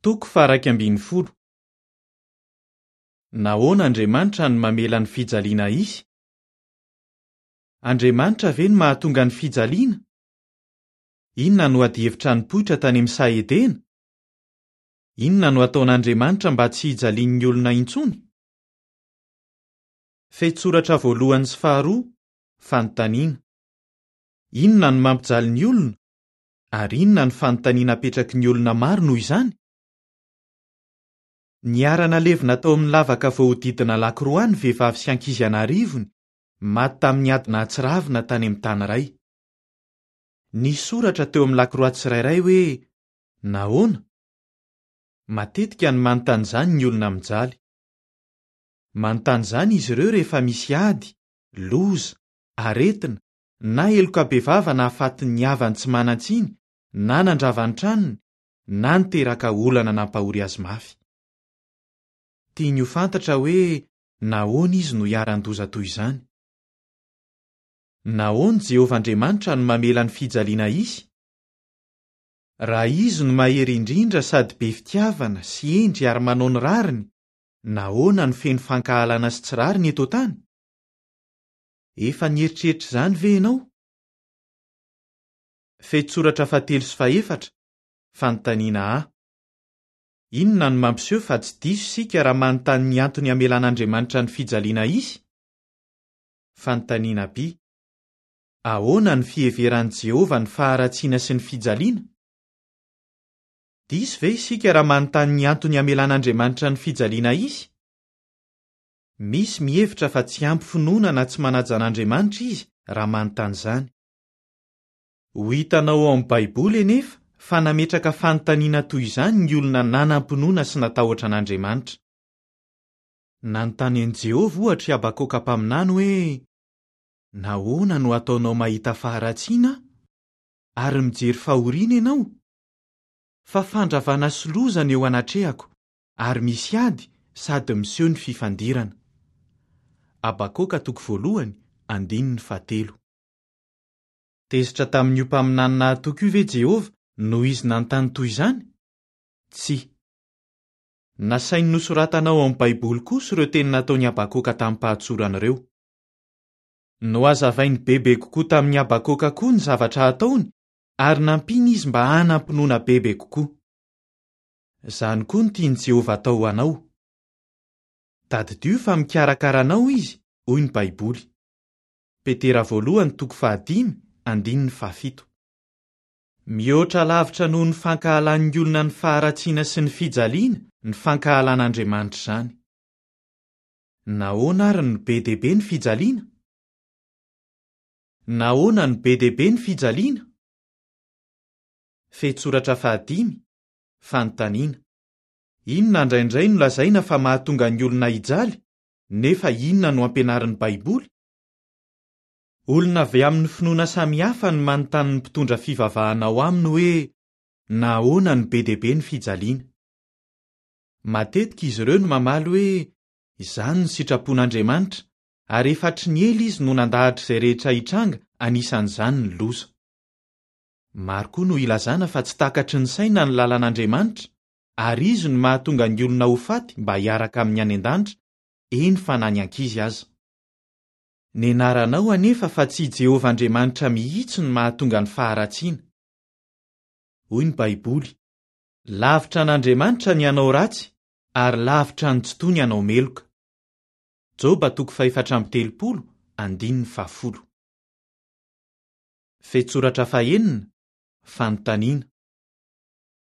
Toko faha-11. Nahoana Andriamanitra no mamela ny fijaliana hisy? Andriamanitra ve no mahatonga ny fijaliana? Inona no adihevitra nipoitra tany amin'ny saha Edena? Inona no hataon'Andriamanitra mba tsy hijalian'ny olona intsony? Fehintsoratra voalohany sy faharoa, Fanontaniana. Inona no mampijaly ny olona, ary inona no fanontaniana apetraky ny olona maro noho izany? Niara-nalevina tao amin'ny lavaka voahodidina lakroa ny vehivavy sy ankizy an'arivony, maty tamin'ny ady nahatsiravina tany amin'ny tany iray. Nisy soratra teo amin'ny lakroa tsirairay hoe, Nahoana? Matetika no manontany izany ny olona mijaly. Manontany izany izy ireo rehefa misy ady, loza, aretina, na heloka bevava nahafaty ny havany tsy manan-tsiny, na nandrava ny tranony, na niteraka olana nampahory azy mafy. Tiany ho fantatra hoe nahoana izy no iharan-doza toy izany. Nahoana Jehovah Andriamanitra no mamela ny fijaliana hisy? Raha izy no mahery indrindra sady be fitiavana sy hendry ary manao ny rariny, nahoana no feno fankahalana sy tsy rariny eto an-tany? Efa nieritreritra izany ve ianao? Fehintsoratra fahatelo sy fahefatra, Fanontaniana A. Inona no mampiseho fa tsy diso isika raha manontany ny antony hamelan'Andriamanitra ny fijaliana hisy? Fanontaniana B. Ahoana no fiheveran'i Jehovah ny faharatsiana sy ny fijaliana? Diso ve isika raha manontany ny antony hamelan'Andriamanitra ny fijaliana hisy? Misy mihevitra fa tsy ampy finoana na tsy manaja an'Andriamanitra izy raha manontany izany. Ho hitanao ao amin'ny Baiboly anefa fa nametraka fanontaniana toy izany ny olona nanam-pinoana sy natahotra an'Andriamanitra. Nanontany an'i Jehovah, ohatra, i Habakoka mpaminany hoe, Nahoana no ataonao mahita faharatsiana aho, ary mijery fahoriana ianao? Fa fandravana sy loza no eo anatrehako, ary misy ady sady miseho ny fifandirana. Habakoka toko voalohany, andininy fahatelo. Tezitra tamin'io mpaminany nahatoky io ve Jehovah noho izy nanontany toy izany? Tsia. Nasainy nosoratana ao amin'ny Baiboly kosa ireo teny nataon'i Habakoka tamim-pahatsorana ireo. Nohazavainy bebe kokoa tamin'i Habakoka koa ny zavatra hataony ary nampiany izy mba hanam-pinoana bebe kokoa. Izany koa no tian'i Jehovah hatao ho anao. Tadidio fa mikarakara anao izy, hoy ny Baiboly. Petera voalohany toko fahadimy andininy fahafito. Mihoatra lavitra noho ny fankahalan'ny olona ny faharatsiana sy ny fijaliana ny fankahalan'Andriamanitra izany. Nahoana àry no be dia be ny fijaliana? Nahoana no be dia be ny fijaliana? Fehintsoratra fahadimy, Fanontaniana. Inona indraindray no lazaina fa mahatonga ny olona hijaly, nefa inona no ampianarin'ny Baiboly? Olona avy amin'ny finoana samihafa no manontany ny mpitondra fivavahana ao aminy hoe nahoana no be dia be ny fijaliana. Matetika izy ireo no mamaly hoe izany no sitrapon'Andriamanitra ary efa hatry ny ela izy no nandahatra izay rehetra hitranga, anisan'izany ny loza. Maro koa no ilazana fa tsy takatry ny saina ny lalan'Andriamanitra ary izy no mahatonga ny olona ho faty mba hiaraka aminy any an-danitra, eny fa na ny ankizy aza. Nianaranao anefa fa tsy i Jehovah Andriamanitra mihitsy no mahatonga ny faharatsiana. Hoy ny Baiboly, Lavitra an'Andriamanitra ny hanao ratsy, ary lavitra ny Tsitoha ny hanao meloka. Joba toko fahefatra amby telopolo, andininy fahafolo. Fehintsoratra fahenina, Fanontaniana.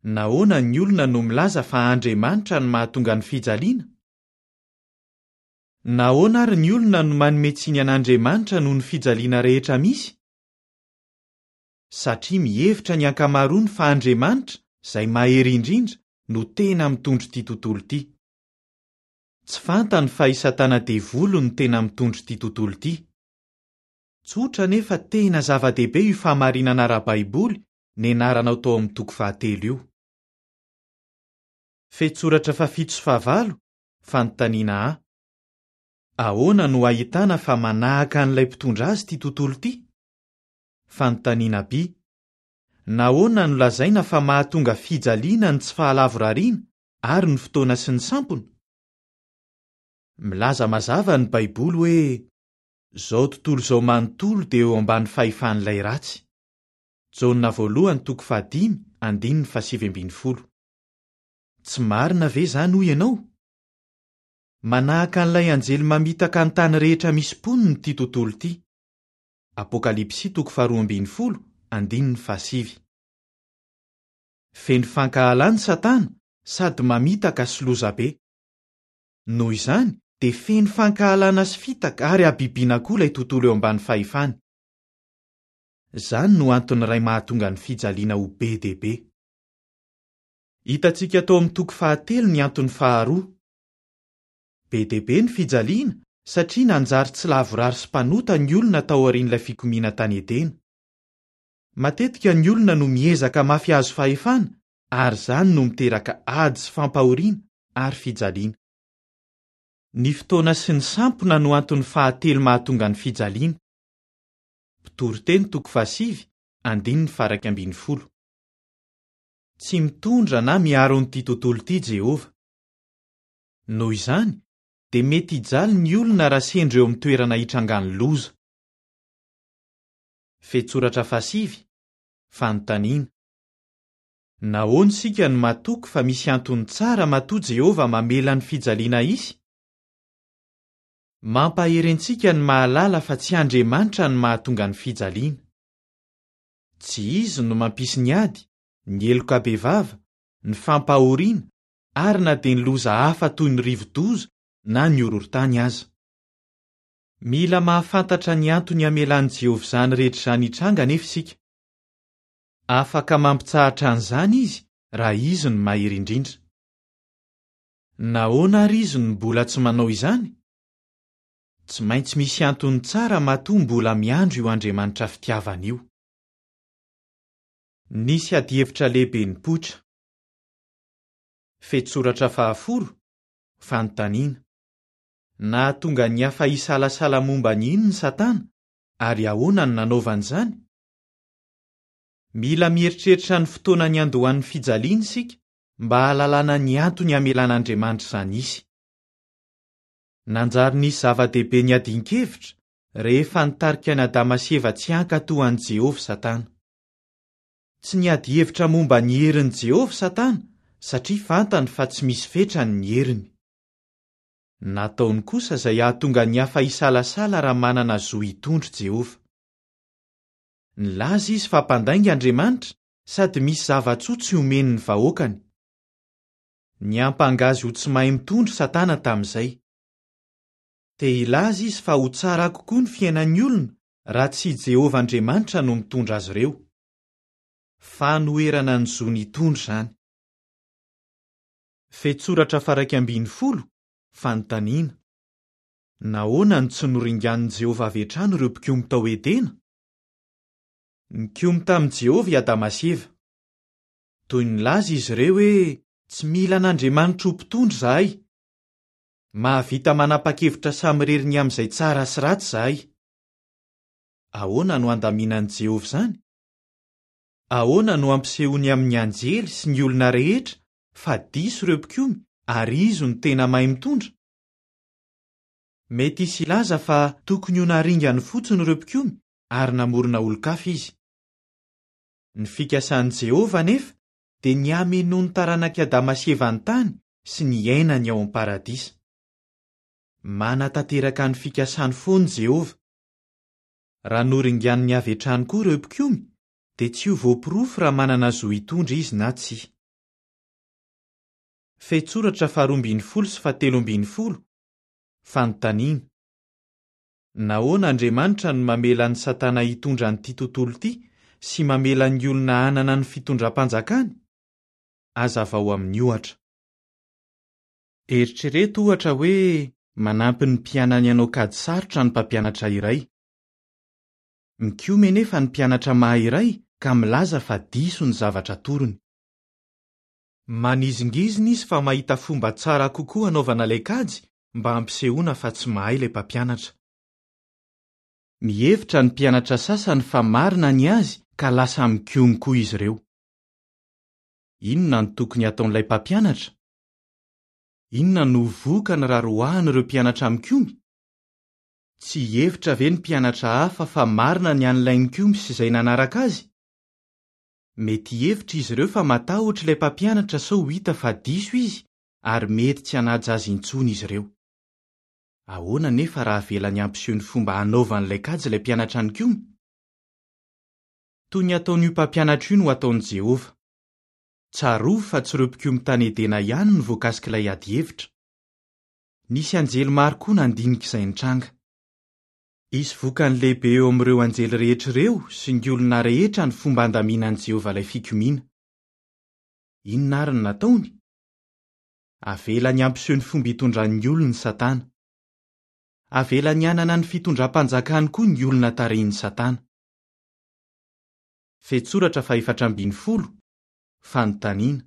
Nahoana ny olona no milaza fa Andriamanitra no mahatonga ny fijaliana? Nahoana àry ny olona no manome tsiny an'Andriamanitra noho ny fijaliana rehetra misy? Satria mihevitra ny ankamaroany fa Andriamanitra, izay mahery indrindra, no tena mitondra ity tontolo ity. Tsy fantany fa i Satana Devoly no tena mitondra ity tontolo ity. Tsotra nefa tena zava-dehibe io fahamarinana ara-baiboly nianaranao tao amin'ny toko fahatelo io. Fehintsoratra fahafito sy fahavalo, Fanontaniana A. Ahoana no ahitana fa manahaka an'ilay mpitondra azy ity tontolo ity? Fanontaniana B. Nahoana no lazaina fa mahatonga fijaliana ny tsy fahalavorariana ary ny fotoana sy ny sampona? Milaza mazava ny Baiboly hoe izao tontolo izao manontolo dia eo ambany fahefan'ilay ratsy. Jaona voalohany toko fahadimy andininy fahasivy ambin'ny folo. Tsy marina ve izany hoy ianao? Manahaka an'ilay anjely mamitaka ny tany rehetra misy mponina ity tontolo ity. Apokalypsy toko faharoa ambin'ny folo andininy fahasivy. Feno fankahalana Satana sady mamitaka sy lozabe. Noho izany dia feno fankahalana sy fitaka ary habibiana koa ilay tontolo eo ambany fahefany. Izany no antony iray mahatonga ny fijaliana ho be dia be. Hitantsika tao amin'ny toko fahatelo ny antony faharoa. Be dia be ny fijaliana satria nanjary tsy lavorary sy mpanota ny olona taorian'ilay fikomiana tany Edena. Matetika ny olona no miezaka mafy hahazo fahefana ary izany no miteraka ady sy fampahoriana ary fijaliana. Ny fotoana sy ny sampona no antony fahatelo mahatonga ny fijaliana. Mpitoriteny toko fahasivy, andininy faha-iraika ambin'ny folo. Tsy mitondra na miaro an'ity tontolo ity Jehovah. Noho izany, dia mety hijaly ny olona raha sendra eo amin'ny toerana hitrangan'ny loza. Fehintsoratra fahasivy, Fanontaniana. Nahoana isika no matoky fa misy antony tsara matoa Jehovah mamela ny fijaliana hisy? Mampahery antsika ny mahalala fa tsy Andriamanitra no mahatonga ny fijaliana. Tsy izy no mampisy ny ady, ny heloka bevava, ny fampahoriana ary na dia ny loza hafa toy ny rivo-doza na ny horohorontany aza. Mila mahafantatra ny antony hamelan'i Jehovah izany rehetra izany hitranga anefa isika. Afaka mampitsahatra an'izany izy raha izy no Mahery Indrindra. Nahoana àry izy no mbola tsy manao izany? Tsy maintsy misy antony tsara matoa mbola miandry io Andriamanitra fitiavana io. Nisy adihevitra lehibe nipoitra. Fehintsoratra fahafolo, Fanontaniana. Nahatonga ny hafa hisalasala momba ny inona i Satana, ary ahoana no nanaovany izany? Mila mieritreritra ny fotoana niandohan'ny fijaliana isika mba hahalalana ny antony hamelan'Andriamanitra izany hisy. Nanjary nisy zava-dehibe niadian-kevitra rehefa nitarika an'i Adama sy Eva tsy hankatò an'i Jehovah Satana. Tsy niady hevitra momba ny herin'i Jehovah Satana satria fantany fa tsy misy fetrany ny heriny. Nataony kosa izay hahatonga ny hafa hisalasala raha manana zo hitondra i Jehovah. Nilaza izy fa mpandainga Andriamanitra sady misy zava-tsoa tsy omeny ny vahoakany. Niampanga azy ho tsy mahay mitondra Satana tamin'izay. Te hilaza izy fa ho tsara kokoa ny fiainan'ny olona raha tsy i Jehovah Andriamanitra no mitondra azy ireo. Fanoherana ny zony hitondra izany. Fehintsoratra faha-11, Fanontaniana, Nahoana no tsy noringanin'i Jehovah avy hatrany ireo mpikomy tao Edena? Nikomy tamin'i Jehovah i Adama sy Eva. Toy ny nilaza izy ireo hoe, 'Tsy mila an'Andriamanitra ho mpitondra izahay. Mahavita manapa-kevitra samirery ny amin'izay tsara sy ratsy izahay. Ahoana no handaminan'i Jehovah izany? Ahoana no hampisehoany amin'ny anjely sy ny olona rehetra fa diso ireo mpikomy ary izy no tena mahay mitondra? Mety hisy hilaza fa tokony ho naringany fotsiny ireo mpikomy ary namorona olon-kafa izy. Ny fikasan'i Jehovah anefa dia ny hamenoan'ny taranak'i Adama sy Eva ny tany sy ny hiainany ao amin'ny Paradisa. Manatanteraka ny fikasany foana i Jehovah. Raha noringaniny avy hatrany koa ireo mpikomy, dia tsy ho voaporofo raha manana zo hitondra izy na tsia. Fehintsoratra faharoa ambin'ny folo sy fahatelo ambin'ny folo, Fanontaniana. Nahoana Andriamanitra no mamela an'i Satana hitondra an'ity tontolo ity sy mamela ny olona hanana ny fitondram-panjakany? Hazavao amin'ny ohatra. Eritrereto, ohatra, hoe manampy ny mpianany hanao kajy sarotra ny mpampianatra iray. Mikomy anefa ny mpianatra mahay iray ka milaza fa diso ny zavatra atorony. Manizingizina izy fa mahita fomba tsara kokoa hanaovana ilay kajy mba hampisehoana fa tsy mahay ilay mpampianatra. Mihevitra ny mpianatra sasany fa marina ny azy ka lasa mikomy koa izy ireo. Inona no tokony hataon'ilay mpampianatra? Inona no ho vokany raha roahina ireo mpianatra mikomy? Tsy hihevitra ve ny mpianatra hafa fa marina ny an'ilay nikomy sy izay nanaraka azy? Mety hihevitra izy ireo fa matahotra ilay mpampianatra sao ho hita fa diso izy ary mety tsy hanaja azy intsony izy ireo. Ahoana anefa raha avelany hampiseho ny fomba hanaovany ilay kajy ilay mpianatra nikomy? Toy ny ataon'io mpampianatra io no ataon'i Jehovah. Tsarovy fa tsy ireo mpikomy tany Edena ihany no voakasik'ilay adihevitra. Nisy anjely maro koa nandinika izay nitranga. Hisy vokany lehibe eo amin'ireo anjely rehetra ireo sy ny olona rehetra ny fomba handaminan'i Jehovah ilay fikomiana. Inona àry no nataony? Avelany hampiseho ny fomba itondrany ny olony Satana. Avelany hanana ny fitondram-panjakany koa ny olona tarihin'i Satana. Fehintsoratra fahefatra ambinifolo, Fanontaniana,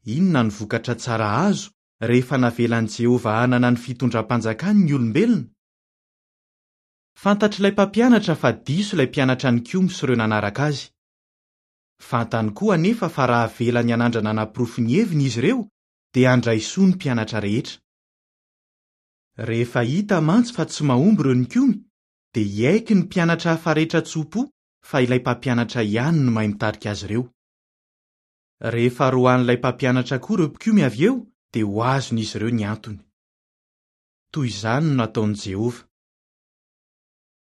Inona no vokatra tsara azo rehefa navelan'i Jehovah hanana ny fitondram-panjakany ny olombelona? Fantatr'ilay mpampianatra fa diso ilay mpianatra nikomy sy ireo nanaraka azy. Fantany koa anefa fa raha avelany hanandrana hanaporofo ny heviny izy ireo, dia handray soa ny mpianatra rehetra. Rehefa hita mantsy fa tsy mahomby ireo nikomy, dia hiaiky ny mpianatra hafa rehetra tso-po fa ilay mpampianatra ihany no mahay mitarika azy ireo. Rehefa roahin'ilay mpampianatra koa ireo mpikomy avy eo, dia ho azon'izy ireo ny antony. Toy izany no nataon'i Jehovah.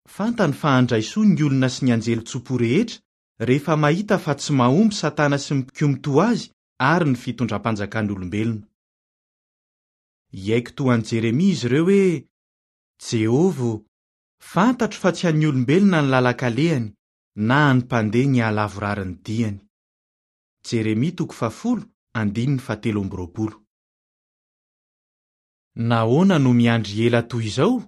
Fantany fa handray soa ny olona sy ny anjely tso-po rehetra rehefa mahita fa tsy mahomby Satana sy ny mpikomy toa azy ary ny fitondram-panjakan'olombelona. Hiaiky toa an'i Jeremia izy ireo hoe, Jehovah ô, fantatro fa tsy an'ny olombelona ny lalan-kalehany, na an'ny mpandeha ny hahalavorary ny diany. Jeremia toko fahafolo, andininy fahatelo amby roapolo. Nahoana no miandry ela toy izao?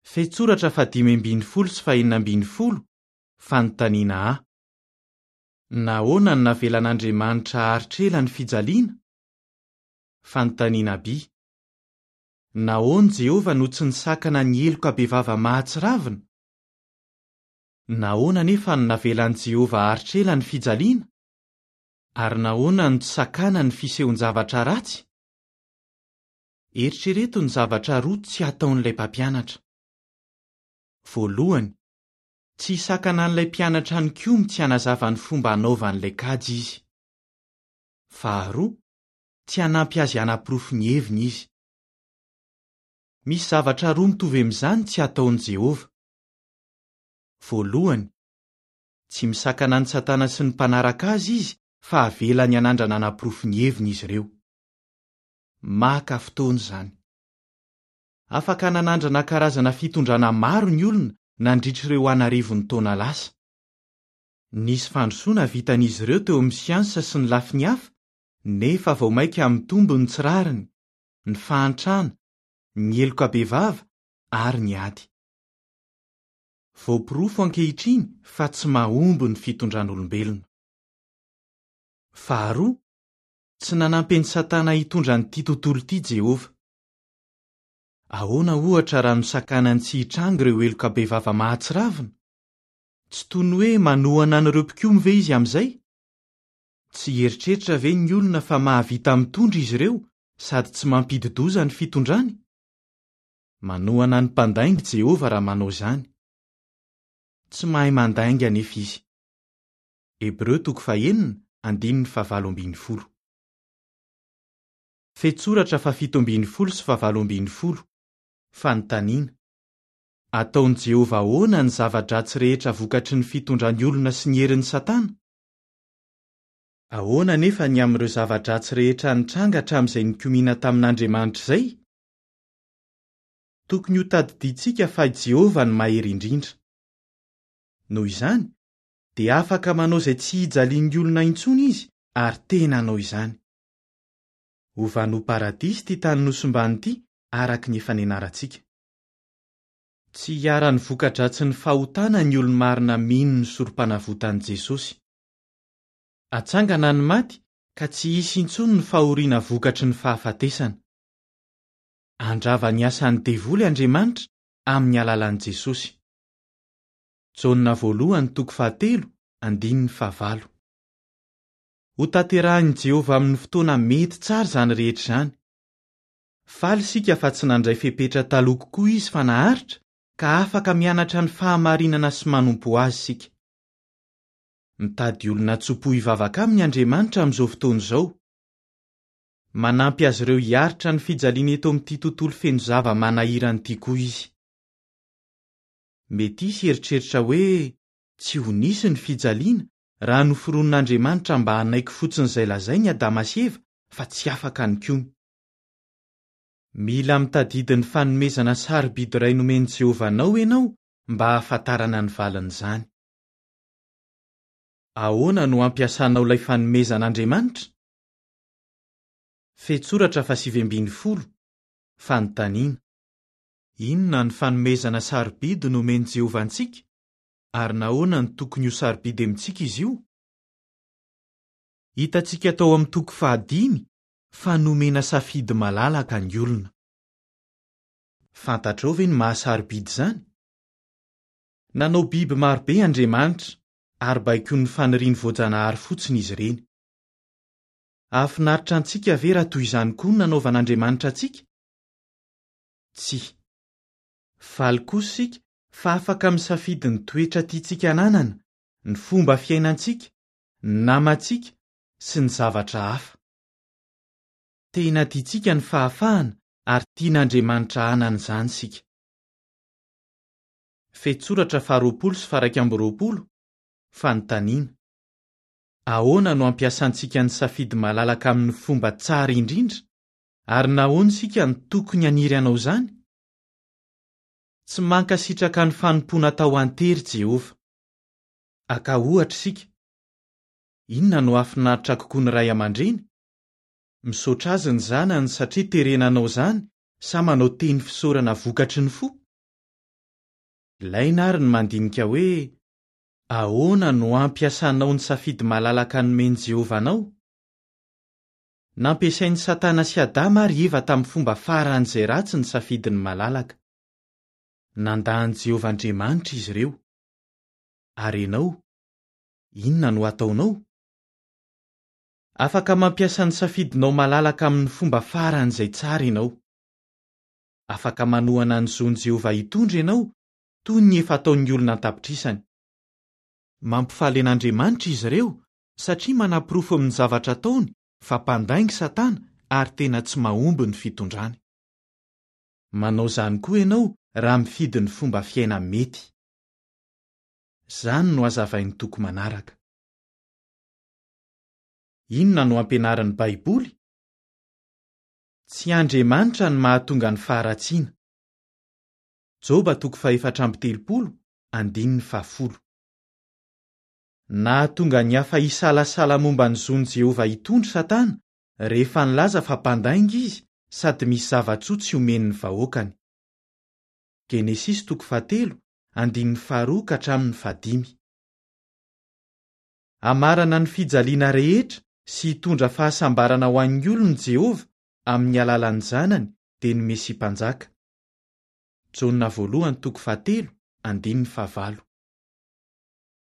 Fehintsoratra fahadimy ambinifolo sy fahenina ambinifolo, Fanontaniana A. Nahoana no navelan'Andriamanitra haharitra ela ny fijaliana? Fanontaniana B. Nahoana Jehovah no tsy nisakana ny heloka bevava mahatsiravina? Nahoana anefa no navelan'i Jehovah haharitra ela ny fijaliana? Ary nahoana no tsy sakanany ny fisehon-javatra ratsy? Eritrereto ny zavatra roa tsy hataon'ilay mpampianatra. Voalohany, tsy hisakana an'ilay mpianatra nikomy tsy hanazava ny fomba hanaovany ilay kajy izy. Faharoa, tsy hanampy azy hanaporofo ny heviny izy. Misy zavatra roa mitovy amin'izany tsy hataon'i Jehovah. Voalohany, tsy misakana an'i Satana sy ny mpanaraka azy izy fa avelany hanandrana hanaporofo ny heviny izy ireo. Maka fotoana izany. Afaka nanandrana karazana fitondrana maro ny olona nandritra ireo an'arivony taona lasa. Nisy fandrosoana vitan'izy ireo teo amin'ny siansa sy ny lafiny hafa, nefa vao mainka mitombo ny tsy rariny, ny fahantrana, ny heloka bevava ary ny ady. Voaporofo ankehitriny fa tsy mahomby ny fitondran'olombelona. Faharoa, Tsy nanampy an'i Satana hitondra an'ity tontolo ity Jehovah. Ahoana, ohatra, raha nosakanany tsy hitranga ireo heloka bevava mahatsiravina? Tsy toy ny hoe manohana an'ireo mpikomy ve izy amin'izay? Tsy hieritreritra ve ny olona fa mahavita mitondra izy ireo sady tsy mampidi-doza ny fitondrany? Manohana ny mpandainga i Jehovah raha manao izany. Tsy mahay mandainga anefa izy. Hebreo toko fahenina, andininy fahavalo ambinifolo. Fehintsoratra fahafito ambinifolo sy fahavalo ambinifolo. Fanontaniana, Ataon'i Jehovah ahoana ny zava-dratsy rehetra vokatry ny fitondrany olona sy ny herin'i Satana? Ahoana anefa ny amin'ireo zava-dratsy rehetra nitranga hatramin'izay nikomiana tamin'Andriamanitra izay? Tokony hotadidiantsika fa i Jehovah no Mahery Indrindra. Noho izany, dia afaka manao izay tsy hijalian'ny olona intsony izy ary tena hanao izany. Hovany ho paradisa ity tany nosimbany ity araka ny efa nianarantsika. Tsy hiharan'ny voka-dratsin'ny fahotana ny olo-marina mino ny sorom-panavotan'i Jesosy. Hatsangana ny maty ka tsy hisy intsony ny fahoriana vokatry ny fahafatesana. Handrava ny asan'ny devoly Andriamanitra amin'ny alalan'i Jesosy. Jaona voalohany toko fahatelo andininy fahavalo. Hotanterahin'i Jehovah amin'ny fotoana mety tsara izany rehetra izany. Faly isika fa tsy nandray fepetra taloha kokoa izy fa naharitra, ka afaka mianatra ny fahamarinana sy manompo azy isika. Mitady olona tso-po hivavaka aminy Andriamanitra amin'izao fotoana izao. Manampy azy ireo hiaritra ny fijaliana eto amin'ity tontolo feno zava-manahirana ity koa izy. Mety hisy hieritreritra hoe tsy ho nisy ny fijaliana raha noforonin'Andriamanitra mba hanaiky fotsiny izay lazainy i Adama sy Eva fa tsy afaka nikomy. Mila mitadidy ny fanomezana sarobidy iray nomen'i Jehovah anao ianao mba hahafantarana ny valin'izany. Ahoana no hampiasanao ilay fanomezan'Andriamanitra? Fehintsoratra fahasivy ambin'ny folo, Fanontaniana. Inona ny fanomezana sarobidy nomen'i Jehovah antsika, ary nahoana no tokony ho sarobidy amintsika izy io? Hitantsika tao amin'ny toko fahadimy fa nomena safidy malalaka ny olona. Fantatrao ve ny maha-sarobidy izany? Nanao biby maro be Andriamanitra, ary baikoin'ny faniriany voajanahary fotsiny izy ireny. Hahafinaritra antsika ve raha toy izany koa no nanaovan'Andriamanitra antsika? Tsia. Faly kosa isika fa afaka misafidy ny toetra tiantsika hananana, ny fomba fiainantsika, ny namantsika, sy ny zavatra hafa. Tena tiantsika ny fahafahana ary tian'Andriamanitra hanana izany isika. Fehintsoratra faharoapolo sy faha-iraika amby roapolo, Fanontaniana. Ahoana no ampiasantsika ny safidy malalaka amin'ny fomba tsara indrindra, ary nahoana isika no tokony haniry hanao izany? Tsy mankasitraka ny fanompoana atao an-tery Jehovah. Haka ohatra isika. Inona no hahafinaritra kokoa ny ray aman-dreny? Misaotra azy ny zanany satria terena hanao izany sa manao teny fisaorana vokatry ny fo? Ilaina àry ny mandinika hoe, 'Ahoana no hampiasanao ny safidy malalaka nomen'i Jehovah anao? Nampiasain'i Satana sy Adama ary Eva tamin'ny fomba faran'izay ratsy ny safidiny malalaka. Nandà an'i Jehovah Andriamanitra izy ireo. Ary ianao? Inona no hataonao? Afaka mampiasa ny safidinao malalaka amin'ny fomba faran'izay tsara ianao. Afaka manohana ny zon'i Jehovah hitondra ianao, toy ny efa ataon'ny olona an-tapitrisany. Mampifaly an'Andriamanitra izy ireo satria manaporofo amin'ny zavatra ataony fa mpandainga Satana ary tena tsy mahomby ny fitondrany. Manao izany koa ianao raha mifidy ny fomba fiaina mety. Izany no hazavain'ny toko manaraka. Inona no ampianarin'ny Baiboly? Tsy Andriamanitra no mahatonga ny faharatsiana. Joba toko fahefatra amby telopolo, andininy fahafolo. Nahatonga ny hafa hisalasala momba ny zon'i Jehovah hitondra i Satana, rehefa nilaza fa mpandainga izy sady misy zava-tsoa tsy omeny ny vahoakany. Genesisy toko fahatelo, andininy faharoa ka hatramin'ny fahadimy. Hamarana ny fijaliana rehetra sy hitondra fahasambarana ho an'ny olony i Jehovah amin'ny alalan'ny Zanany, dia ny Mesia Mpanjaka. Jaona voalohany toko fahatelo, andininy fahavalo.